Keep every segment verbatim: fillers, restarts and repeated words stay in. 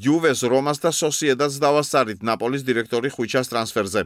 იუვეს, რომას და სოსიედადს დავასწარით ნაპოლის დირექტორი ხვიჩას ტრანსფერზე.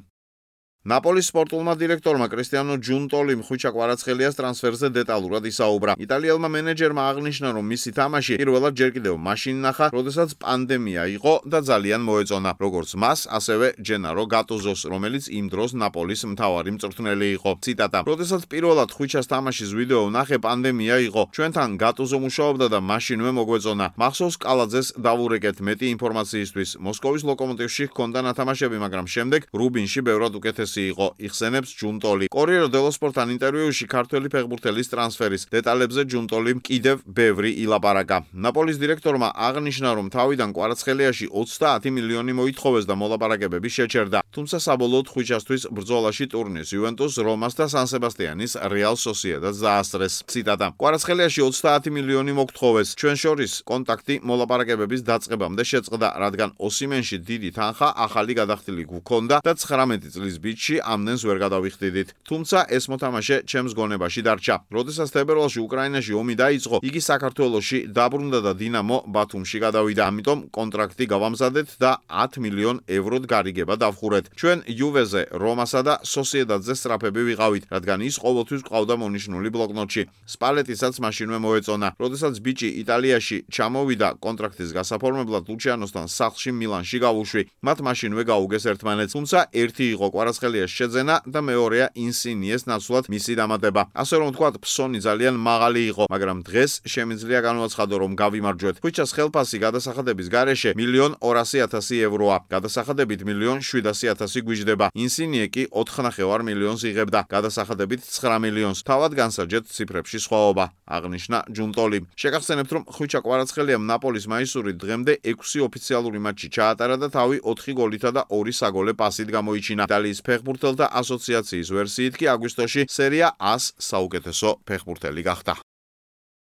ნაპოლის სპორტულმა დირექტორმა კრისტიანო ჯუნტოლიმ ხვიჩა კვარაცხელიას ტრანსფერზე დეტალურად ისაუბრა. იტალიელმა მენეჯერმა აღნიშნა, რომ მისი თამაში პირველად ჯერ კიდევ მაშინ ნახა, როდესაც პანდემია იყო და ძალიან მოეწონა, როგორც მას, ასევე ჯენარო გატუზოს, რომელიც იმ დროს ნაპოლის მთავარი მწვრთნელი იყო. ციტატა: როდესაც პირველად ხვიჩას თამაშის ვიდეო ვნახე, პანდემია იყო. ჩვენთან გატუზო მუშაობდა და მაშინვე მოგვეწონა. მახსოვს კალაძეს დავურეკეთ მეტი ინფორმაციისთვის. მოსკოვის ლოკომოტივში ჰქონდა ნათამაშები, მაგრამ შემდეგ რუბინში ბევრად უკეთესი იყო, იხსენებს ჯუნტოლი. კორიერო დელო სპორტთან ინტერვიუში ქართველი ფეხბურთელის ტრანსფერის დეტალებზე ჯუნტოლიმ კიდევ ბევრი ილაპარაკა. ნაპოლის დირექტორმა აღნიშნა, რომ თავიდან კვარაცხელიაში ოცდაათი მილიონი მოითხოვეს და მოლაპარაკებები შეჩერდა. თუმცა საბოლოოდ ხვიჩასთვის ბრძოლაში ტურნირს იუვენტუს, რომას და სან სებასტიანის რეალ სოსიედადს დაასწრეს. ციტატა: კვარაცხელიაში ოცდაათი მილიონი მოგთხოვეს. ჩვენ შორის კონტაქტი მოლაპარაკებების დაწყებამდე შეწყდა, რადგან ოსიმენში დიდი თანხა ახალი გადახდილი გვქონდა და ცხრამეტი წლის ბიჭი ამდენს ვერ გადავიხდიდით. თუმცა ეს მოთამაშე ჩემს გონებაში დარჩა. როდესაც თებერვალში უკრაინაში ომი დაიწყო, იგი საქართველოში დაბრუნდა და დინამო ბათუმში გადავიდა. ამიტომ კონტრაქტი გავამზადეთ და ათ მილიონ ევროდ გარიგება დავხურეთ. ჩვენ იუვეზე, რომასა და სოსიედადზე სწრაფები ვიყავით, რადგან ის ყოველთვის ყავდა მონიშნული ბლოკნოტში. სპალეტისაც მაშინვე მოეწონა. როდესაც ბიჭი იტალიაში ჩამოვიდა კონტრაქტის გასაფორმებლად, ლუჩიანოსთან სახლში მილანში გავუშვი. მათ მაშინვე გაუგეს ერთმანეთს. თუმცა ერთი იყო კვარაცხელიას შეძენა და მეორეა ინსინიეს ნაცვლად მისი დამატება. ასე რომ ვთქვათ, ფსონი ძალიან მაღალი იყო, მაგრამ დღეს შემიძლია განვაცხადო, რომ გავიმარჯვეთ. ხვიჩას ხელფასი გადასახადების გარეშე მილიონ ორასი ათასი ევროა. გადასახადებით მილიონ შვიდასი ათასი გვიჯდება. ინსინიე კი ოთხნახევარ მილიონს იღებდა, გადასახადებით ცხრა მილიონს. თავად განსაჯეთ ციფრებში სხვაობა, აღნიშნა ჯუნტოლიმ. შეგახსენებთ, რომ ხვიჩა კვარაცხელიამ ნაპოლის მაისური დღემდე ექვსი ოფიციალური მატჩი ჩაატარა და თავი ოთხი გოლითა და ორი საგოლე პასით გამოიჩინა. იტალიის ფეხბურთელთა ასოციაციის ვერსიით კი აგვისტოში სერია ას საუკეთესო ფეხბურთელი გახდა.